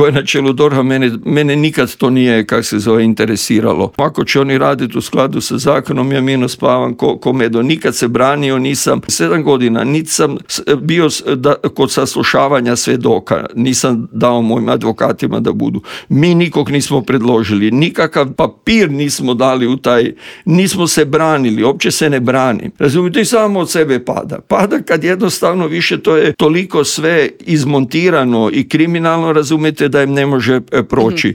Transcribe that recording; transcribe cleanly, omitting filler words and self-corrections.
koje na čelu DORH-a, mene nikad to nije, interesiralo. Ako će oni raditi u skladu sa zakonom, ja mirno spavam ko medo. Nikad se branio nisam. 7 godina nisam bio kod saslušavanja svjedoka. Nisam dao mojim advokatima da budu. Mi nikog nismo predložili. Nikakav papir nismo dali u taj. Nismo se branili. Uopće se ne brani. Razumite, i samo od sebe pada. Pada kad jednostavno više to je toliko sve izmontirano i kriminalno, razumijete, da im ne može proći.